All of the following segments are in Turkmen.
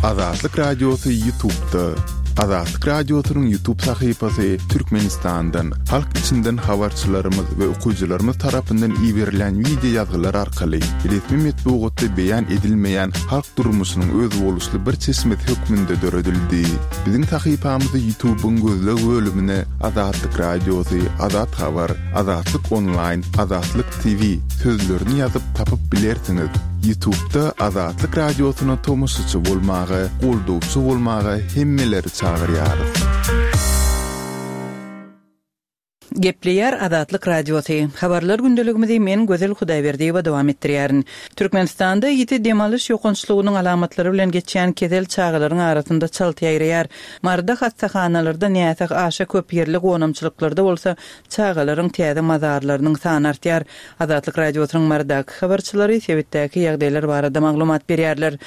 Azatlyk Radiosy Ýutubda. Azatlyk Radiosynyň Ýutub sahypasy Türkmenistandan, halk içinden habarçylarymyz we okyjylarymyz tarapyndan iberilen wideo ýazgylar arkaly resmi metbugatda beýan edilmeýän halk durmuşynyň özboluşly bir çeşmesi hökmünde döredildi. Biziň sahypamyzy Ýutubyň gözleg bölümine Azatlyk Radiosy, Azat Habar, Azatlyk Onlaýn, Azatlyk TV sözlerini ýazyp tapyp bilersiňiz. Ýutubda Azatlyk Radiosyna tomaşaçy bolmaga, goldawçy bolmaga hemmeleri çagyrýarys. Gepleýär Azatlyk Radiosy. Habarlar gündeligimizi men Gözel Hudaýberdiýewa dowam etdirýärin. Türkmenistanda ýiti dem alyş ýokançlygynyň alamatlary bilen geçýän kesel çagalaryň arasynda çalt ýaýraýar. Maryda hassahanalarda näsag aşa köp, ýerli gonamçylyklarda bolsa çagalaryň täze mazarlarynyň sany artýar. Azatlyk Radiosynyň Marydaky habarçylary sebitdäki ýagdaýlar barada maglumat berýärler.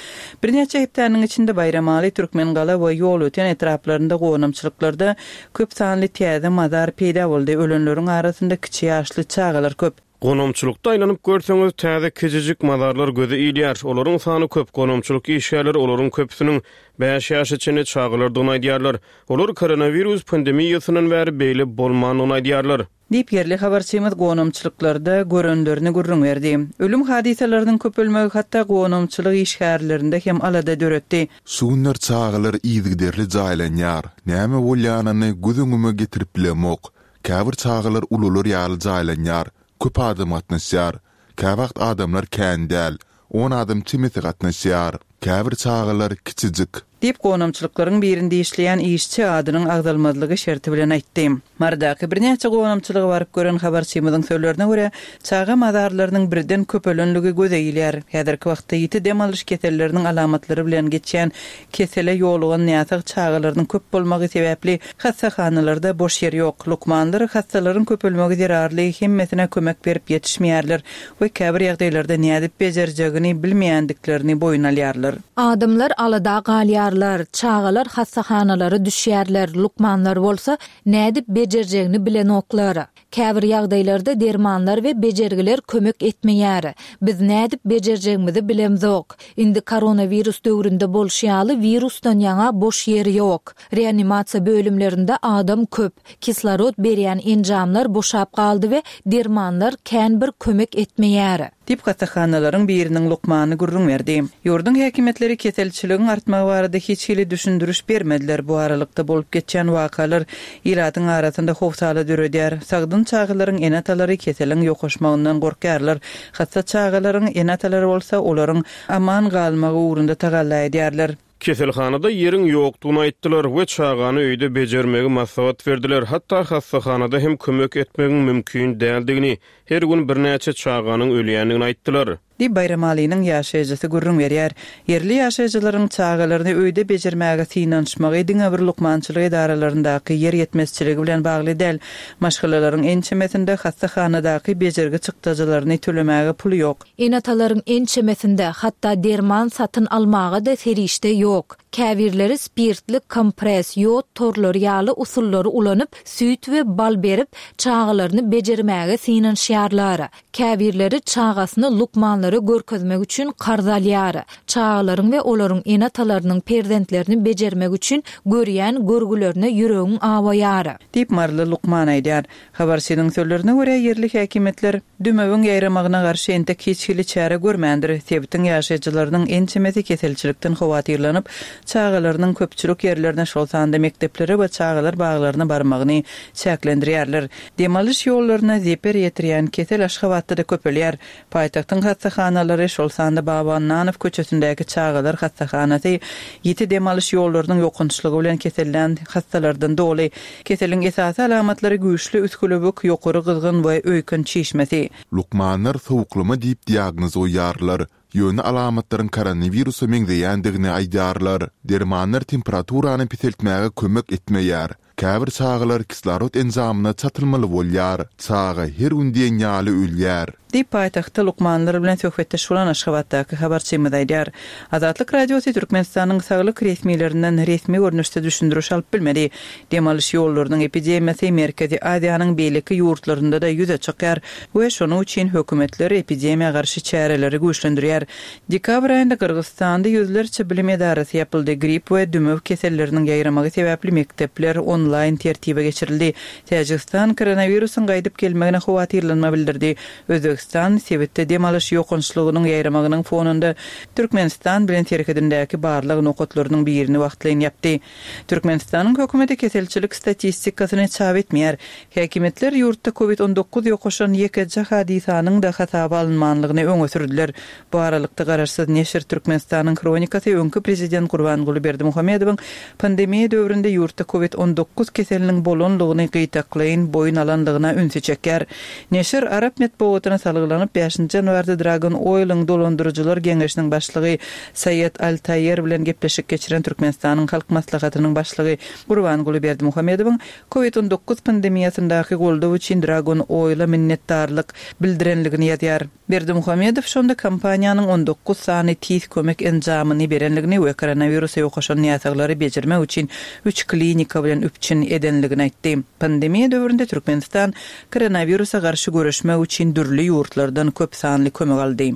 Birnäçe hepdäniň içinde Baýramaly, Türkmengala we Ýolöten etraplarynda gonamçylyklarda köp sanly täze mazar peýda boldy, ölenleriň arasynda kiçi ýaşly çagalar köp. Gonamçylykda aýlanyp görseňiz, täze kiçijik mazarlar göze ilýär. Olaryň sany köp. Gonamçylyk işgärleri olaryň köpüsiniň bäş ýaşa çenli çagalardygyny aýdýarlar. Olar koronawirus pandemiýasyndan bäri beýle bolmandygyny aýdýarlar. Diýip, ýerli habarçymyz gonamçylyklarda görenlerini gürrüň berdi. Ölüm hadysalarynyň köpelmegi hatda gonamçylyk işgärlerinde hem alada döretdi. Şu günler çagalar yzygiderli jaýlanýar. Näme bolýanyny göz öňüme getirip bilemok. Käbir çagalar ulular ýaly jaýlanýar, köp adam gatnaşýar. Käwagt adamlar kän däl, on adam çemesi gatnaşýar. Käbir çagalar kiçijik. Diýip, gonamçylyklaryň birinde işleýän işçi adynyň agzalmazlygy şerti bilen aýtdy. Marydaky birnäçe gonamçylyga baryp gören habarçymyzyň sözlerine görä, çaga mazarlarynyň birden köpelenligi göze ilýär. Häzirki wagtda ýiti dem alyş keselleriniň alamatlary bilen geçýän kesele ýolugan näsag çagalarynyň köp bolmagy sebäpli hassahanalarda boş ýer ýok. Lukmanlar hassalaryň köpelmegi zerarly hemmesine kömek berip ýetişmeýärler we käbir ýagdaýlarda nädip bejerjegini bilmeýändiklerini boýun alýarlar. Adamlar alada galýarlar, çagalar hassahanalara düşýärler, lukmanlar bolsa nädip bejerjegini bilenoklar. Käbir ýagdaýlarda dermanlar we bejergiler kömek etmeýär. Biz nädip bejerjegimizi bilemzok. Indi koronawirus döwründe bolşy ýaly wirusdan ýaňa boş ýer ýok. Reanimasiýa bölümlerinde adam köp. Kislorod berýän enjamlar boşap galdy we dermanlar kän bir kömek etmeýär. Diýip, hassahanalaryň biriniň lukmany gürrüň berdi. Ýurduň häkimiýetleri keselçiligiň artmagy barada hiç hili düşündiriş bermediler. Bu aralykda bolup geçýän wakalar ilatyň arasynda howsala döredýär. Sagdyn çagalaryň ene-atalary keseliň ýokaşmagyndan gorkýarlar. Hassa çagalaryň ene-atalary bolsa olaryň aman galmagy ugrunda tagalla edýärler. Keselhanada ýeriň ýokdugyny aýtdylar we çagany öýde bejermegi maslahat berdiler, hatda hassahanada hem kömek etmegiň mümkin däldigini, her gün birnäçe çaganyň ölýändigini aýtdylar. Diýip, Baýramalynyň ýaşaýjysy gürrüň berýär. Ýerli ýaşaýjylaryň çagalaryny öýde bejermäge synanyşmagy diňe bir lukmançylyk edaralaryndaky ýer ýetmezçiligi bilen bagly däl. Maşgalalaryň ençemesinde hassahanadaky bejergi çykdajylaryny tölemäge puly ýok. Ene-atalaryň ençemesinde, hatda derman satyn almaga-da serişde ýok. Käbirleri spirtli kompres, ýod torlary ýaly usullary ulanyp, süýt we bal berip, çagalaryny bejermäge synanyşýarlar. Käbirleri çagasyny lukmanlara görkezmek üçin karz alýar. Çagalaryň we olaryň ene-atalarynyň perzentlerini bejermek üçin görýän görgülerine ýüregiň awaýar. Diýip, maryly lukman aýdýar. Habarçynyň sözlerine görä, ýerli häkimiýetler dümewiň ýaýramagyna garşy entek hiç hili çäre görmändir. Sebitiň ýaşaýjylarynyň ençemesi keselçilikden howatyrlanyp, çagalarynyň köpçülik ýerlerine, şol sanda mekdeplere we çagalar baglaryna barmagyny çäklendirýärler. Dem alyş ýollaryna zeper ýetirýän kesel Aşgabatda-da köpelýär. Paýtagtyň hassahanalary, şol sanda Baba Annanow köçesindäki çagalar hassahanasy ýiti dem alyş ýollarynyň ýokançlygy bilen kesellän hassalardan doly. Keseliň esasy alamatlary güýçli üsgülewük, ýokary gyzgyn we öýken çişmesi. Lukmanlar sowuklama diýip diagnoz goýýarlar, ýöne alamatlaryň koronawirusa meňzeýändigini aýdýarlar. Dermanlar temperaturany peseltmäge kömek etmeýär. Käbir çagalar kislorod enjamyna çatylmaly bolýar. Çaga her gün diýen ýaly ölýär. Diýip, paýtagtda lukmanlar bilen söhbetdeş bolan Aşgabatdaky habarçymyz aýdýar. Azatlyk Radiosy Türkmenistanyň saglyk resmilerinden resmi görnüşde düşündiriş alyp bilmedi. Dem alyş ýollarynyň epidemiýasy Merkezi Aziýanyň beýleki ýurtlarynda-da ýüze çykýar we şonuň üçin hökümetler epidemiýa garşy çäreleri güýçlendirýär. Dekabr aýynda Gyrgyzystanda ýüzlerçe bilim edarasy ýapyldy, grip we dümew keselleriniň ýaýramagy sebäpli mekdepler onlaýn tertibe geçirildi. Täjigistan koronawirusyň gaýdyp gelmegine howatyrlanma bildirdi. Özbegistan sebitde dem alyş ýokançlygynyň ýaýramagynyň fonunda Türkmenistan bilen serhedindäki barlag nokatlarynyň birini wagtlaýyn ýapdy. Türkmenistanyň hökümeti keselçilik statistikasyny çap etmeýär. Häkimiýetler ýurtda covid 19 ýokaşan ýekeje hadysanyň-da hasaba alynmanlygyny öňe sürdüler. Bu aralykda, garaşsyz neşir Türkmenistanyň Hronikasy öňki prezident Gurbanguly Berdimuhamedowyň pandemiýa döwründe ýurtda covid 19 keseliniň bolanlygyny gytaklaýyn boýun alanlygyna ünsi çekýär. Neşir arap metbugatyna salgylanyp, bäşinji ýanwarda Dragon Oil-iň dolandyryjylar geňeşiniň başlygy Saýed Al-Taýer bilen gepleşik geçiren Türkmenistanyň Halk Maslahatynyň Başlygy Gurbanguly Berdimuhamedowyň Covid 19 pandemiýasyndaky goldaw üçin Dragon Oil-a minnetdarlyk bildirenligini ýazýar. Berdimuhamedow şonda kompaniýanyň 19 sany tiz kömek enjamyny berenligini we koronawirusa ýokaşan näsaglary bejermek üçin üç klinika bilen üpjün edenligini aýtdy. Pandemiýa döwründe Türkmenistan koronawirusa garşy göreşmek üçin dürli ýurtlardan köp sanly kömek aldy.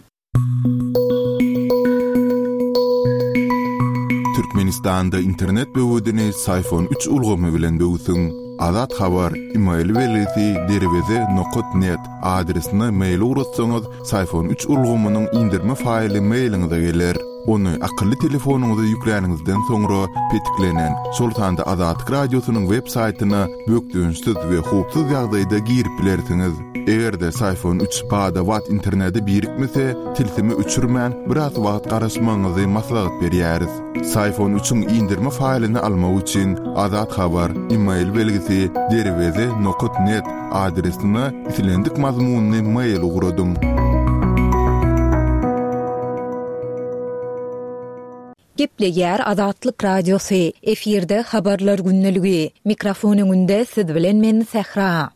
Türkmenistanda internet böwedini Syfon üç ulgamy bilen böwsüň. Azat Habar, email belgisi derweze nokat net adresine mail ugratsaňyz, Syfon üç ulgamynyň indirme faýly mailiňize geler. Ony akylly telefonyňyza ýükläniňizden soňra petiklenen, şol sanda Azatlyk Radiosynyň web saýtyna bökdençsiz we howpsuz ýagdaýda girip bilersiňiz. Eger-de Syfon üç bada-bat internete birikmese, tilsimi öçürmän, biraz wagt garaşmagyňyzy maslahat berýäris. Syfon üçiň indirme faýlyny almak üçin Azat Habar, email belgisi, derweze nokat net adresine islendik mazmunly mail ugradyň. Gepleýär Azatlyk Radiosy, efirde Habarlar gündeligi. Mikrofon öňünde siz bilen men Sähra.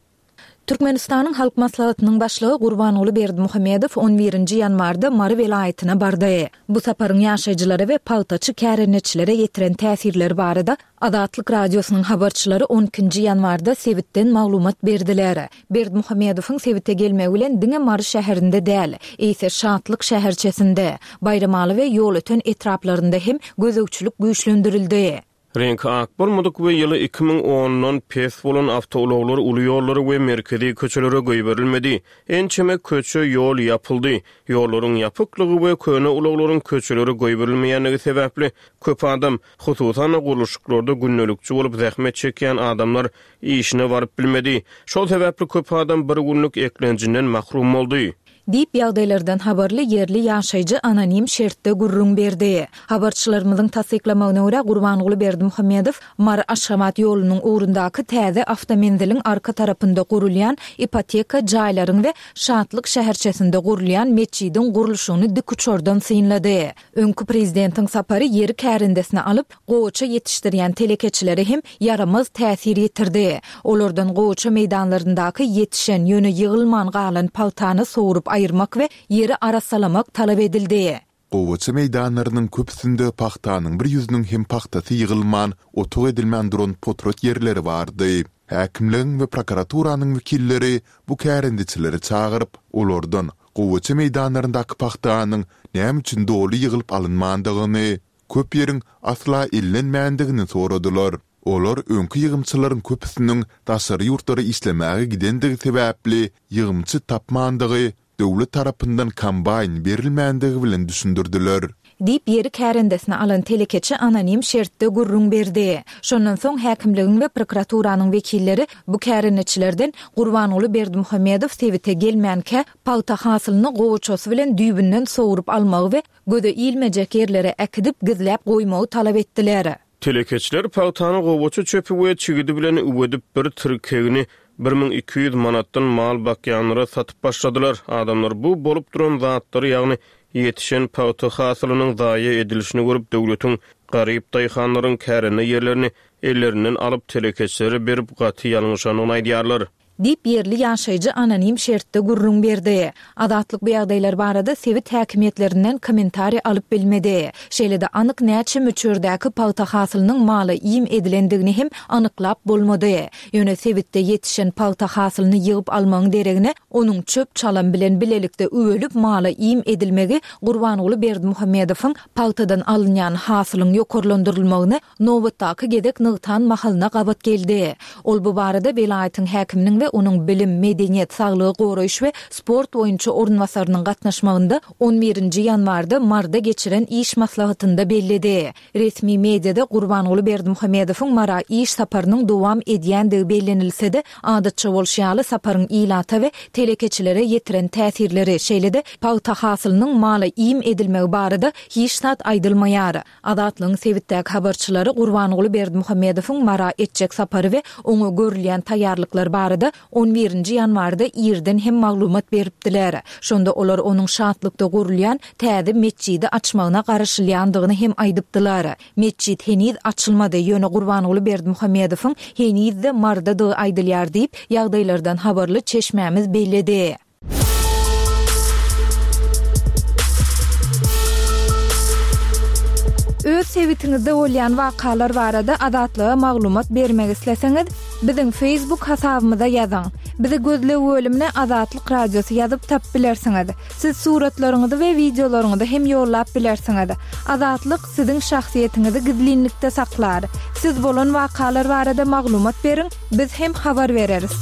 Türkmenistanyň Halk Maslahatynyň Başlygy Gurbanguly Berdimuhamedow on birinji ýanwarda Mary welaýatyna bardy. Bu saparyň ýaşaýjylara we pagtaçy kärendeçilere ýetiren täsirleri barada Azatlyk Radiosynyň habarçylary on ikinji ýanwarda sebitden maglumat berdiler. Berdimuhamedowyň sebite gelmegi bilen diňe Mary şäherinde däl, eýse Şatlyk şäherçesinde, Baýramaly we Ýolöten etraplarynda hem gözegçilik güýçlendirildi. Reňki ak bolmadyk we ýyly 2010-dan pes bolan awtoulaglar uly ýollara we merkezi köçelere goýberilmedi. Ençeme köçe, ýol ýapyldy. Ýollaryň ýapyklygy we köne ulaglaryň köçelere goýberilmeýänligi sebäpli, köp adam, hususan-da, gurluşyklarda gündelikçi bolup zähmet çekýän adamlar işine baryp bilmedi. Şol sebäpli köp adam bir günlük eklenjinden mahrum boldy. Diýip, ýagdaýlardan habarly ýerli ýaşaýjy anonim şertde gürrüň berdi. Habarçylarymyzyň tassyklamagyna görä, Gurbanguly Berdimuhamedow Mary-Aşgabat ýolunyň ugrundaky täze awtomenziliň arka tarapynda gurulýan ipoteka jaýlaryň we Şatlyk şäherçesinde gurulýan metjidiň gurluşygyny dikuçardan synlady. Öňki prezidentiň sapary ýeri kärendesine alyp, gowaça ýetişdirýän telekeçilere hem ýaramaz täsir ýetirdi. Olardan gowaça meýdanlaryndaky ýetişen, ýöne ýygylman galan pagtany sogrup aýyrmak we ýeri arassalamak talap edildi. Gowaça meýdanlarynyň köpüsinde pagtanyň bir ýüzüniň hem pagtasy ýygylman, otag edilmän duran potrat ýerleri bardy. Häkimligiň we prokuraturanyň wekilleri bu kärendeçileri çagyryp, olardan gowaça meýdanlaryndaky pagtanyň näme üçin doly ýygylyp alynmandygyny, köp ýeriň asla ellenmändigini soradylar. Olar öňki ýygymçylaryň köpüsiniň daşary ýurtlara işlemäge gidendigi sebäpli ýygymçy tapmandygy, döwlet tarapyndan kombaýn berilmändigi bilen düşündirdiler. Diýip, ýeri kärendesine alan telekeçi anonim şertde gürrüň berdi. Şondan soň häkimligiň we prokuraturanyň wekilleri bu kärendeçilerden Gurbanguly Berdimuhamedow sebite gelmänkä pagta hasylyny gowaçasy bilen düýbünden sogrup almagy we göze ilmejek ýerlere äkidip gizläp goýmagy talap etdiler. Telekeçiler pagtany gowaça çöpi we çigidi bilen üwedip bir tirkegini 1200 manatdan mal bakýanlara satyp başladylar. Adamlar bu bolup duran zatlary ýagny ýetişen pagta hasylynyň zaýa edilişini görüp döwletiň garyp daýhanlaryň kärende ýerlerini. ellerinden alyp, telekeçilere berip, gaty ýalňyşandygyny aýdýarlar. Diýip, ýerli ýaşaýjy anonim şertde gürrüň berdi. Azatlyk bu ýagdaýlar barada sebit häkimiýetlerinden kommentariý alyp bilmedi. Şeýle-de anyk näçe möçberdäki pagta hasylynyň mala iým edilendigini hem anyklap bolmady. Ýöne sebitde ýetişen pagta hasylyny ýygyp almagyň deregine, onuň çöp-çalam bilen bilelikde üwelip mala iým edilmegi Gurbanguly Berdimuhamedowyň pagtadan alynýan hasylyň ýokarlandyrylmagyny nobatdaky gezek nygtan mahalyna gabat geldi. Ol bu barada welaýatyň häkiminiň we onuň bilim, medeniýet, saglygy goraýyş we sport boýunça orunbasarynyň gatnaşmagynda on birinji ýanwarda Maryda geçiren iş maslahatynda belledi. Resmi mediada Gurbanguly Berdimuhamedowyň Mara iş saparynyň dowam edýändigi bellenilse-de, adatça bolşy ýaly saparyň ilata we telekeçilere ýetiren täsirleri, şeýle-de pagta hasylynyň mala iým edilmegi barada hiç zat aýdylmaýar. Azatlygyň sebitdäki habarçylary Gurbanguly Berdimuhamedowyň Mara etjek sapary we oňa görülýän taýýarlyklar barada on birinji ýanwarda irden hem maglumat beripdiler. Şonda olar onuň Şatlykda gurulýan täze metjidi açmagyna garaşylýandygyny hem aýdypdylar. Metjit heniz açylmady, ýöne Gurbanguly Berdimuhamedowyň heniz-de Marydadygy aýdylýar diýip, ýagdaýlardan habarly çeşmämiz belledi. Öz sebitiňizde bolýan wakalar barada Azatlyga maglumat bermek isleseňiz, biziň Facebook hasabymyza ýazyň. Bizi gözleg bölümine Azatlyk Radiosy ýazyp tapyp bilersiňiz. Siz suratlaryňyzy we wideolaryňyzy hem ýollap bilersiňiz. Azatlyk siziň şahsyýetiňizi gizlinlikde saklar. Siz bolan wakalar barada maglumat beriň, biz hem habar bereris.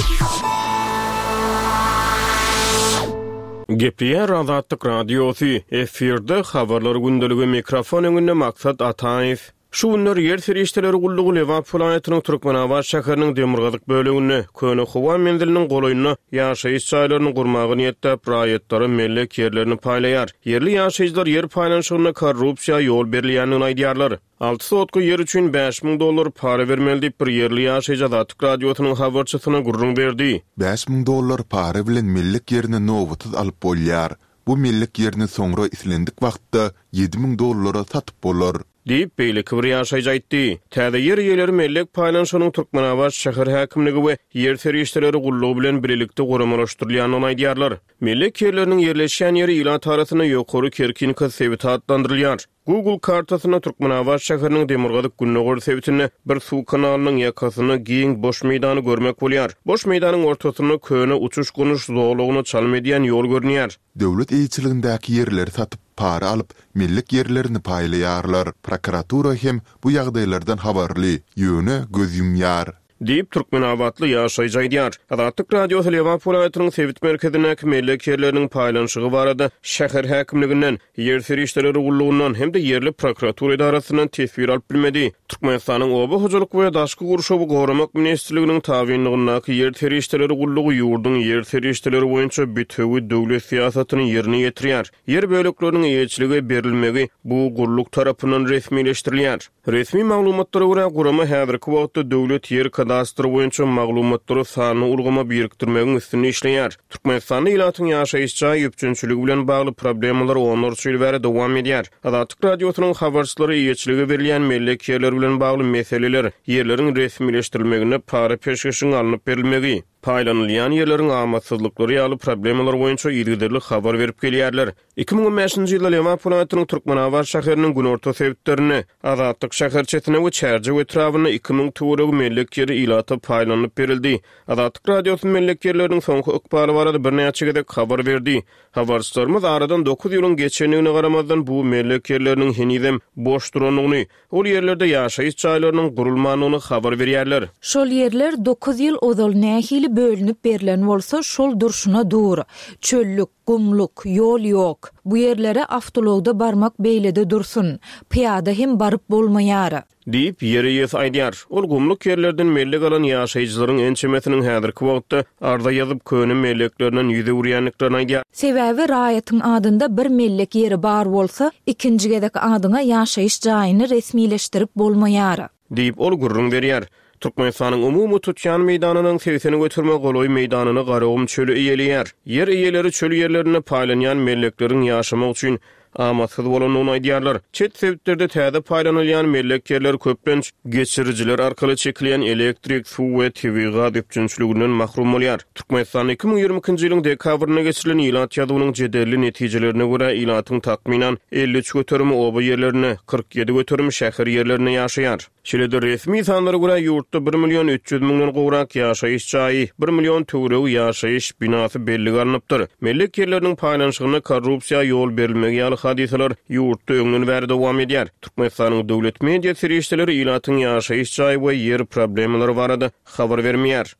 Gepleýär Azatlyk Radiosy, efirde Habarlar gündeligi, mikrofon öňünde Maksat Ataýew. Şu günler Ýer serişdeleri gullugy Lebap welaýatynyň Türkmenabat şäheriniň demirgazyk böleginde, köne howa menziliniň golaýynda ýaşaýyş jaýlaryny gurmagy niýetläp, raýatlara mellek ýerlerini paýlaýar. Ýerli ýaşaýjylar ýer paýlanyşygynda korrupsiýa ýol berilýändigini aýdýarlar. Alty sotka ýer üçin 5000 dollar para bermeli diýip, bir ýerli ýaşaýjy Azatlyk Radiosynyň habarçysyna gürrüň berdi. 5000 dollar para bilen mellek ýerini nobatsyz alyp bolýar. Bu mellek ýerini soňra islendik wagtda 7000 dollara satyp bolar. Diýip, beýleki bir ýaşaýjy aýtdy. Täze ýer eýeleri mellek paýlanyşygynyň Türkmenabat şäher häkimligi we Ýer serişdeleri gullugy bilen bilelikde guramalaşdyrylýandygyny aýdýarlar. Mellek ýerleriniň ýerleşýän ýeri ilat arasynda Ýokary Kerkinka sebiti atlandyrylýar. Google kartasynda Türkmenabat şäheriniň demirgazyk-gündogar sebitinde bir suw kanalynyň ýakasynda giň boş meýdany görmek bolýar. Boş meýdanyň ortasynda köne uçuş-gonuş zolagyna çalym edýän ýol görünýär. Döwlet eýeçiligindäki ýerleri satyp, para alyp, mellek ýerlerini paýlaýarlar. Prokuratura hem bu ýagdaýlardan habarly, ýöne göz ýumýar. Diýip, türkmenabatly ýaşaýjy aýdýar. Azatlyk Radiosy Lebap welaýatynyň sebit merkezindäki mellek ýerleriniň paýlanyşygy barada şäher häkimliginden, Ýer serişdeleri gullugyndan hem-de ýerli prokuratura edarasyndan teswir alyp bilmedi. Türkmenistanyň Oba hojalyk we daşky gurşawy goramak ministrliginiň tabynlygyndaky Ýer serişdeleri gullugy ýurduň ýer serişdeleri boýunça bitewi döwlet syýasatyny ýerine ýetirýär. Ýer bölekleriniň eýeçilige berilmegi bu gulluk tarapyndan resmileşdirilýär. Resmi maglumatlara görä, gurama häzirki wagtda döwlet ýer kadastry boýunça maglumatlary sanly ulgama birikdirmegiň üstünde işleýär. Türkmenistanda ilatyň ýaşaýyş jaý üpjünçiligi bilen bagly problemalar onlarça ýyl bäri dowam edýär. Azatlyk Radiosynyň habarçylary eýeçilige berilýän mellek ýerleri bilen bagly meseleler, ýerleriň resmileşdirilmeginde para-peşgeşiň alnyp berilmegi, paýlanylýan ýerleriň amatsyzlyklary ýaly problemalar boýunça yzygiderli habar berip gelýärler. 2015-nji ýylda Lebap welaýatynyň Türkmenabat şäheriniň günorta sebitlerinde, Azatlyk şäherçesinde we Çärjew etrabynda 2000 töweregi mellek ýeri ilata paýlanylyp berildi. Azatlyk Radiosy mellek ýerleriniň soňky ykbaly barada birnäçe gezek habar berdi. Habarçylarymyz aradan dokuz ýylyň geçendigine garamazdan, bu mellek ýerleriniň henizem boş durandygyny, ol ýerlerde ýaşaýyş jaýlarynyň gurulmandygyny habar berýärler. Şol ýerler dokuz ýyl ozal nähili bölünip berlen bolsa, şol durşuna dur. Çöllük, gumluk, ýol ýok. Bu ýerlere awtoulagda barmak beýlede dursun, pyýada hem baryp bolmaýar. Diýip, ýer eýesi aýdýar. Ol gumluk ýerlerden mellek alan ýaşaýjylaryň ençemesiniň häzirki wagtda arza ýazyp, köne melleklerinden ýüz öwürýändiklerini aýdýar. Sebäbi raýatyň adynda bir mellek ýeri bar bolsa, ikinji gezek adyňa ýaşaýyş jaýyny resmileşdirip bolmaýar. Diýip, ol gürrüň berýär. Türkmenistanyň umumy tutýan meýdanynyň 80 göterime golaý meýdanyny Garagum çöli eýeleýär. Ýer eýeleri çöl ýerlerinde paýlanýan mellekleriň ýaşamak üçin. amatsyz bolandygyny aýdýarlar. Çet sebitlerde täze paýlanylýan mellek ýerler köplenç geçirijiler arkaly çekilýän elektrik, suw we tebigy gaz üpjünçiliginden mahrum bolýar. Türkmenistanda 2022-nji ýylyň dekabrynda geçirilen ilat ýazuwynyň jedelli netijelerine görä, ilatyň takmynan 53 göterimi oba ýerlerinde, 47 göterimi şäher ýerlerinde ýaşaýar. Şeýle-de, resmi sanlara görä, ýurtda bir million 300 müňden gowrak ýaşaýyş jaýy, bir million töweregi ýaşaýyş binasy bellige alnypdyr. Mellek ýerleriniň paýlanyşygynda korrupsiýa ýol berilmegi ýaly hadysalar ýurtda öňden bäri dowam edýär. Türkmenistanyň döwlet media serişdeleri ilatyň ýaşaýyş jaý we ýer problemalary barada habar bermeýär.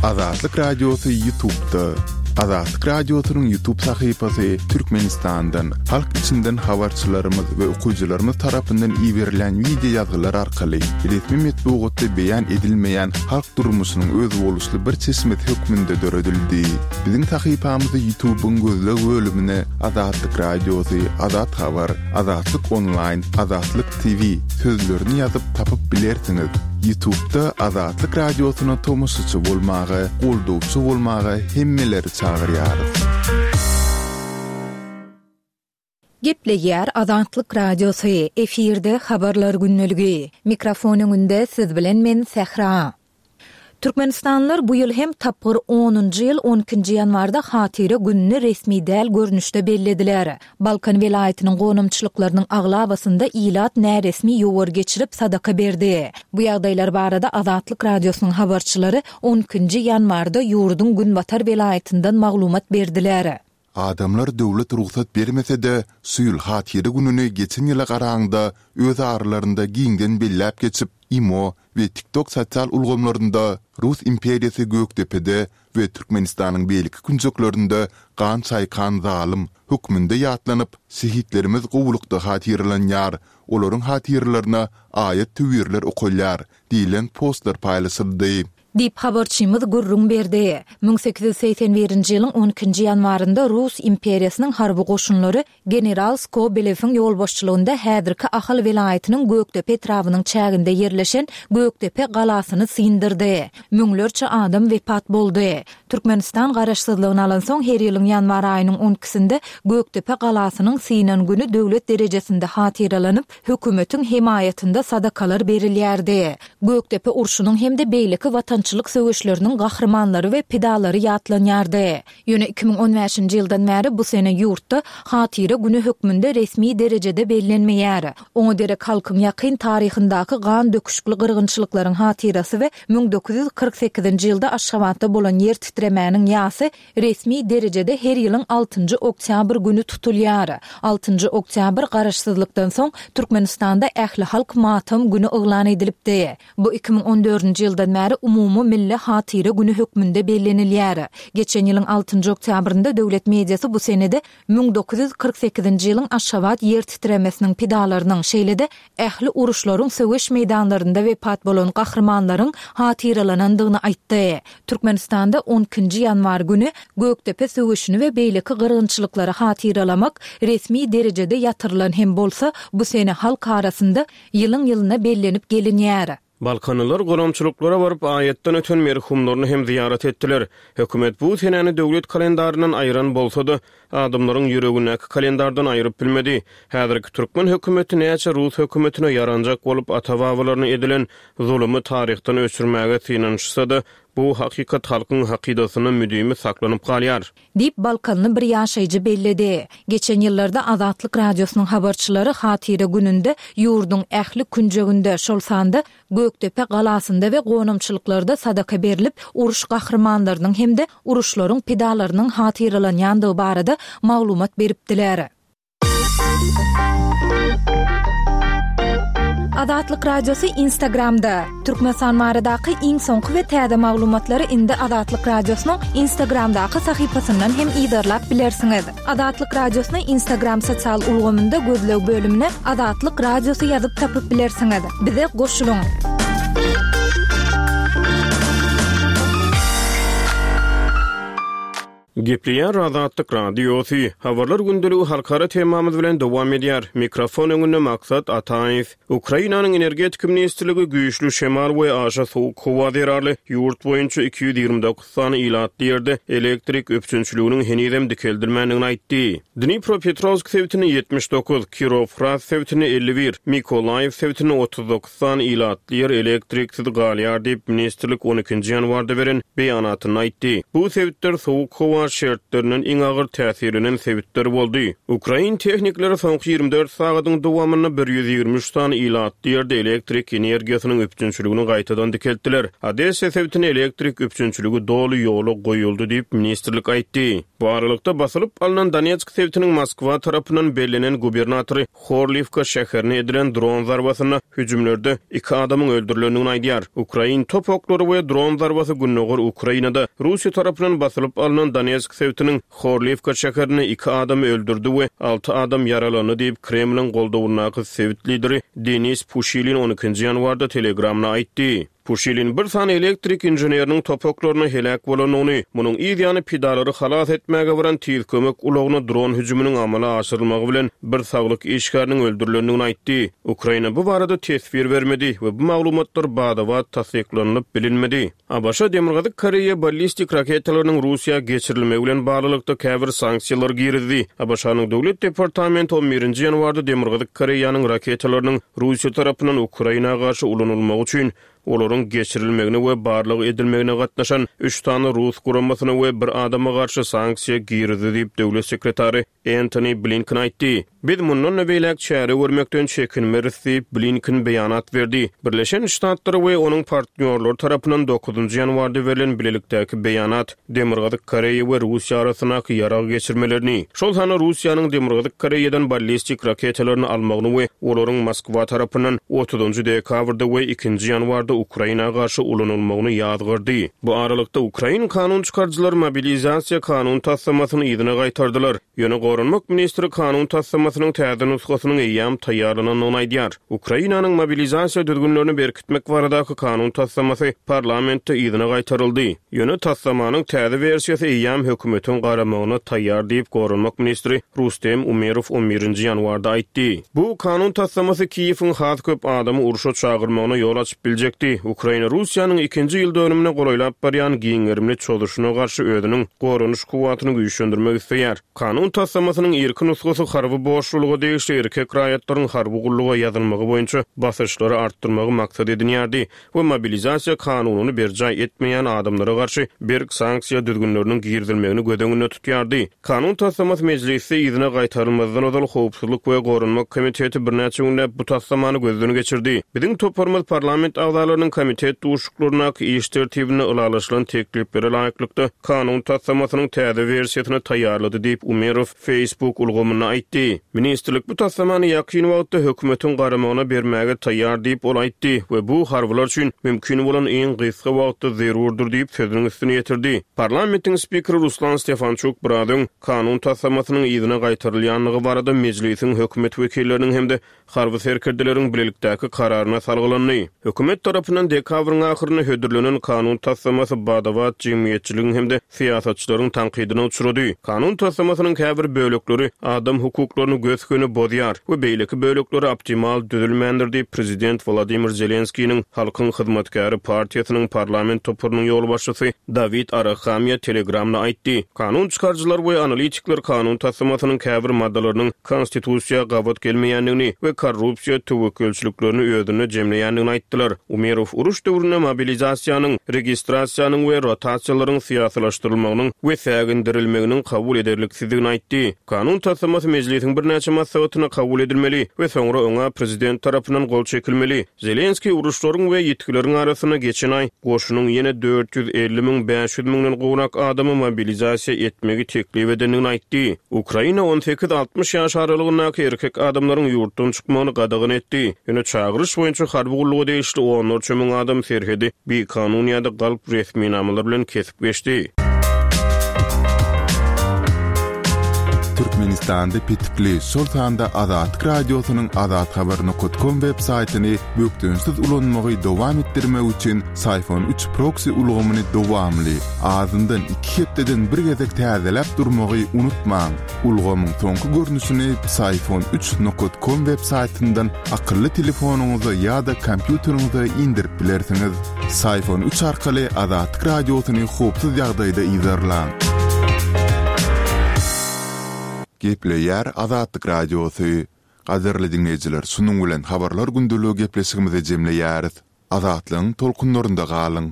Azatlyk Radiosy Ýutubda. Azatlyk Radiosynyň Ýutub sahypasy Türkmenistandan, halk içinden habarçylarymyz we okyjylarymyz tarapyndan iberilýän wideo ýazgylar arkaly resmi metbugatda beýan edilmeýän halk durmuşynyň özboluşly bir çeşmesi hökmünde döredildi. Biziň sahypamyzy Ýutubyň gözleg bölümine Azatlyk Radiosy, Azat Habar, Azatlyk Onlaýn, Azatlyk TV sözlerini ýazyp tapyp bilersiňiz. Ýutubda Azatlyk Radiosyna tomaşaçy bolmaga, goldawçy bolmaga hemmeleri çagyrýarys. Gepleýär Azatlyk Radiosy, efirde Habarlar gündeligi. Mikrofon öňünde siz bilen men Sähra. Türkmenistanlylar bu ýyl hem tapgyr onunjy ýyl on ikinji ýanwarda Hatyra gününi resmi däl görnüşde bellediler. Balkan welaýatynyň gonamçylyklarynyň aglabasynda ilat näresmi ýowar geçirip, sadaka berdi. Bu ýagdaýlar barada Azatlyk Radiosynyň habarçylary on ikinji ýanwarda ýurduň günbatar welaýatyndan maglumat berdiler. Adamlar döwlet rugsat bermese-de, şu ýyl Hatyra gününi geçen ýyla garaňda öz aralarynda giňden belläp geçip, imo we TikTok sosial ulgamlarynda Rus imperiýasy Gökdepede we Türkmenistanyň beýleki künjeklerinde gan çaýkan zalym hökmünde ýatlanyp, şehitlerimiz gowulykda hatyralanýar, olaryň hatyralaryna aýat-töwirler okalýar diýlen postlar paýlaşyldy. Diýip, habarçymyz gürrüň berdi. 1881-nji ýylyň on ikinji ýanwarynda Rus imperiýasynyň harby goşunlary general Skobelewiň ýolbaşçylygynda häzirki Ahal welaýatynyň Gökdepe etrabynyň çäginde ýerleşen Gökdepe galasyny syndyrdy. Müňlerçe adam wepat boldy. Türkmenistan garaşsyzlygyny alansoň her ýylyň ýanwar aýynyň on ikisinde Gökdepe galasynyň synan güni döwlet derejesinde hatyralanyp, hökümetiň hemaýatynda sadakalar berilýärdi. Gökdepe urşunyň hem-de beýleki watançylyk söweşleriniň gahrymanlary we pidalary ýatlanýardy. Ýöne 2015-nji ýyldan bäri bu sene ýurtda Hatyra güni hökmünde resmi derejede bellenmeýär. Oňa derek halkyň ýakyn taryhyndaky gan döküşikli gyrgynçylyklaryň hatyrasy we 1948-nji ýylda Aşgabatda bolan ýer titremäniň ýasy Resmi derejede her ýylyň altynjy oktýabr güni tutulýar. Altynjy oktýabr Garaşsyzlykdan soň Türkmenistanda ählihalk matam güni yglan edilipdi. Bu 2014-nji ýyldan bäri umumy milli hatyra güni hökmünde bellenilýär. Geçen ýylyň altynjy oktýabrynda döwlet mediasy bu senede 1948-nji ýylyň Aşgabat ýer titremesiniň pidalarynyň, şeýle-de ähli uruşlaryň söweş meýdanlarynda wepat bolan gahrymanlaryň hatyralanandygyny aýtdy. Türkmenistanda on ikinji ýanwar güni Gökdepe söweşini we beýleki gyrgynçylyklary hatyralamak resmi derejede ýatyrylan hem bolsa, bu sene halk arasynda ýylyň-ýylyna bellenip gelinýär. Balkanlylar gonamçylyklara baryp, aýatdan öten merhumlaryny hem zyýarat etdiler. Hökümet bu senäni döwlet kalendaryndan aýyran bolsa-da, adamlaryň ýüregindäki kalendardan aýyryp bilmedi. Häzirki türkmen hökümeti näçe rus hökümetine ýaranjak bolup ata-babalaryna edilen zulumy taryhdan öçürmäge synanyşsa-da, bu hakykat halkyň hakydasynda müdimi saklanyp galýar. Diýip, balkanly bir ýaşaýjy belledi. Geçen ýyllarda Azatlyk Radiosynyň habarçylary Hatyra gününde ýurduň ähli künjeginde, şol sanda Gökdepe galasynda we gonamçylyklarda sadaka berlip, uruş gahrymanlarynyň hem-de uruşlaryň pidalarynyň hatyralanýandygy barada maglumat beripdiler. Azatlyk Radiosy Instagramda, Türkmenistan baradaky iň soňky we täze maglumatlary indi Azatlyk Radiosynyň Instagramdaky sahypasyndan hem yzarlap bilersiňiz. Azatlyk Radiosyny Instagram sosial ulgamynda gözleg bölümine Azatlyk Radiosy ýazyp tapyp bilersiňiz. Bize goşulyň! Gepleýär Azatlyk Radiosy, Habarlar gündeligi halkara temamyz bilen dowam edýär. Mikrofon öňünde Maksat Ataýew. Ukrainanyň Energetika ministrligi güýçli şemal we aşa sowuk howa zerarly ýurt boýunça 229 sany ilatly ýerde elektrik üpjünçiliginiň henizem dikeldilmändigini aýtdy. Dnipropetrowsk sebitinde 79, Kirowhrad sebitinde 51, Mykolaýiw sebitinde 39 sany ilatly ýer elektriksiz galýar diýip, ministrlik on ikinji ýanwarda beren beýanatynda aýtdy. Bu sebitler sowuk howa şertlerinden iň agyr täsirlenen sebitler boldy. Ukrain tehnikleri soňky 24 sagadyň dowamynda 123 sany ilatly ýerde elektrik energiýasynyň üpjünçiligini gaýtadan dikeltdiler. Odessa sebitinde elektrik üpjünçiligi doly ýola goýuldy diýip, ministrlik aýtdy. Bu aralykda, basylyp alnan Donetsk sebitiniň Moskwa tarapyndan bellenen gubernatory Horliwka şäherine edilen dron zarbasynda hüjümlerde iki adamyň öldürilendigini aýdýar. Ukrain top oklary we dron zarbasy gündogar Ukrainada Russiýa tarapyndan basylyp alnan Donetsk sebitiniň Horliwka şäherinde iki adamy öldürdi we alty adam ýaralandy diýip, Kremliň goldawyndaky sebit lideri Denis Puşilin on ikinji ýanwarda Telegramda aýtdy. Puşilin bir sany elektrik inženeriniň top oklaryna heläk bolandygyny, munuň yz ýany pidalary halas etmäge baran tiz kömek ulagyna dron hüjüminiň amala aşyrylmagy bilen bir saglyk işgäriniň öldürilendigini aýtdy. Ukraina bu barada teswir bermedi we bu maglumatlar bada-bat tassyklanylyp bilinmedi. ABŞ Demirgazyk Koreýa ballistik raketalarynyň Russiýa geçirilmegi bilen baglylykda käbir sanksiýalary girizdi. ABŞ-nyň Döwlet departamenti on birinji ýanwarda Demirgazyk Koreýanyň raketalarynyň Russiýa tarapyndan Ukraina garşy ulanylmagy üçin olaryň geçirilmegine we barlag edilmegine gatnaşan üç sany rus guramasyna we bir adama garşy sanksiýa girizdi diýip, döwlet sekretary Entoni Blinken aýtdy. Biz mundan-da beýläk çäre görmekden çekinmeris diýip, Blinken beýanat berdi. Birleşen Ştatlar we onuň partnýorlary tarapyndan dokuzynjy ýanwarda berlen bilelikdäki beýanat Demirgazyk Koreýa we Russiýa arasyndaky ýarag geçirmelerini, şol sanda Russiýanyň Demirgazyk Koreýadan ballistik raketalaryny almagyny we olaryň Moskwa tarapyndan otuzynjy dekabrda we ikinji ýanwarda Ukraina garşy ulanylmagyny ýazgardy. Bu aralykda, ukrain kanun çykaryjylary mobilizasiýa kanun taslamasyny yzyna gaýtardylar. Ýöne goranmak ministri kanun taslamasynyň täze nusgasynyň eýýäm taýýarlanandygyny aýdýar. Ukrainanyň mobilizasiýa düzgünlerini berkitmek baradaky kanun taslamasy parlamentde yzyna gaýtaryldy. Ýöne taslamanyň täze wersiýasy eýýäm hökümetiň garamagyna taýýar diýip, goranmak ministri Rustem Umerow on birinji ýanwarda aýtdy. Bu kanun taslamasy Kiýewiň has köp adamy urşa çagyrmagyna ýol açyp biljekdi. Ukraina Russiýanyň ikinji ýyl dönümine golaýlap barýan giň gerimli çozuşyna garşy özüniň goranyş kuwwatyny güýçlendirmek isleýär. Kanun taslamasynyň irki nusgasy harby borçlulyga degişli erkek raýatlaryň harby gulluga ýazylmagy boýunça basyşlary artdyrmagy maksat edinýärdi we mobilizasiýa kanunyny berjaý etmeýän adamlara garşy berk sanksiýa düzgünleriniň girizilmegini göz öňünde tutýardy. Kanun taslamasy mejlisde yzyna gaýtarylmazdan ozal Howpsuzlyk we goranmak komiteti birnäçe günläp bu taslamany gözden geçirdi. Biziň toparymyz parlament agzalarynyň komitet duşuşyklaryndaky iş tertibinde ylalaşylan tekliplere laýyklykda kanun taslamasynyň täze wersiýasyny taýýarlady diýip, Umerow Facebook ulgamynda aýtdy. Ministrlik bu taslamany ýakyn wagtda hökümetiň garamagyna bermäge taýýar diýip, ol aýtdy we bu harbylar üçin mümkin bolan iň gysga wagtda zerurdyr diýip, sözüniň üstüni ýetirdi. Parlamentiň spikeri Ruslan Stefançuk biraz öň kanun taslamasynyň yzyna gaýtarylýandygy barada mejlisiň hökümet wekilleriniň hem-de harby serkerdeleriň bilelikdäki kararyna salgylandy. Hökümet tarapyndan dekabryň ahyrynda hödürlenen kanun taslamasy bada-bat jemgyýetçiligiň hem-de syýasatçylaryň tankydyna uçrady. Kanun taslamasynyň käbir bölekleri adam hukuklaryny gös-göni bozýar we beýleki bölekleri optimal düzülmändir diýip, prezident Wladimir Zelenskiniň Halkyň hyzmatkäri partiýasynyň parlament toparynyň ýolbaşçysy Dawid Arahamiýa Telegramda aýtdy. Kanun çykaryjylar we analitikler kanun taslamasynyň käbir maddalarynyň Konstitusiýa gabat gelmeýändigini we korrupsiýa töwekgelçiliklerini özünde jemleýändigini aýtdylar. Umerow uruş döwründe mobilizasiýanyň, registrasiýanyň we rotasiýalaryň syýasylaşdyrylmagynyň we sägindirilmeginiň kabul ederliksizdigini aýtdy. Kanun taslamasy mejlisiň birnäçe maslahatynda kabul edilmeli we soňra oňa prezident tarapyndan gol çekilmeli. Zelenskiý uruşlaryň we ýitgileriň arasynda geçen aý goşunyň ýene 450 500 müňden gowrak adamy mobilizasiýa etmegi teklip edendigini aýtdy. Ukraina on sekiz-altmyş ýaş aralygyndaky erkek adamlaryň ýurtdan çykmagyny gadagan etdi. Ýöne çagyryş boýunça harby gulluga degişli onlarça müň adam serhedi bikanun ýa-da galp resminamalar bilen kesip geçdi. Türkmenistanda petikli, şol sanda Azatlyk Radiosynyň azathabar nokat kom web saýtyny bökdençsiz ulanmagy dowam etdirmek üçin Syfon üç proksi ulgamyny dowamly, azyndan iki hepdeden bir gezek täzeläp durmagy unutmaň. Ulgamyň soňky görnüşini Psiphon üç nokat kom web saýtyndan akylly telefonyňyza ýa-da kompýuteriňize indirip bilersiňiz. Psiphon üç arkaly Azatlyk Radiosyny howpsuz ýagdaýda yzarlaň. Gepleýär Azatlyk Radiosy. Gadyrly diňleýjiler, şunuň bilen Habarlar gündeligi gepleşigimizi jemleýäris. Azatlygyň tolkunlarynda galyň!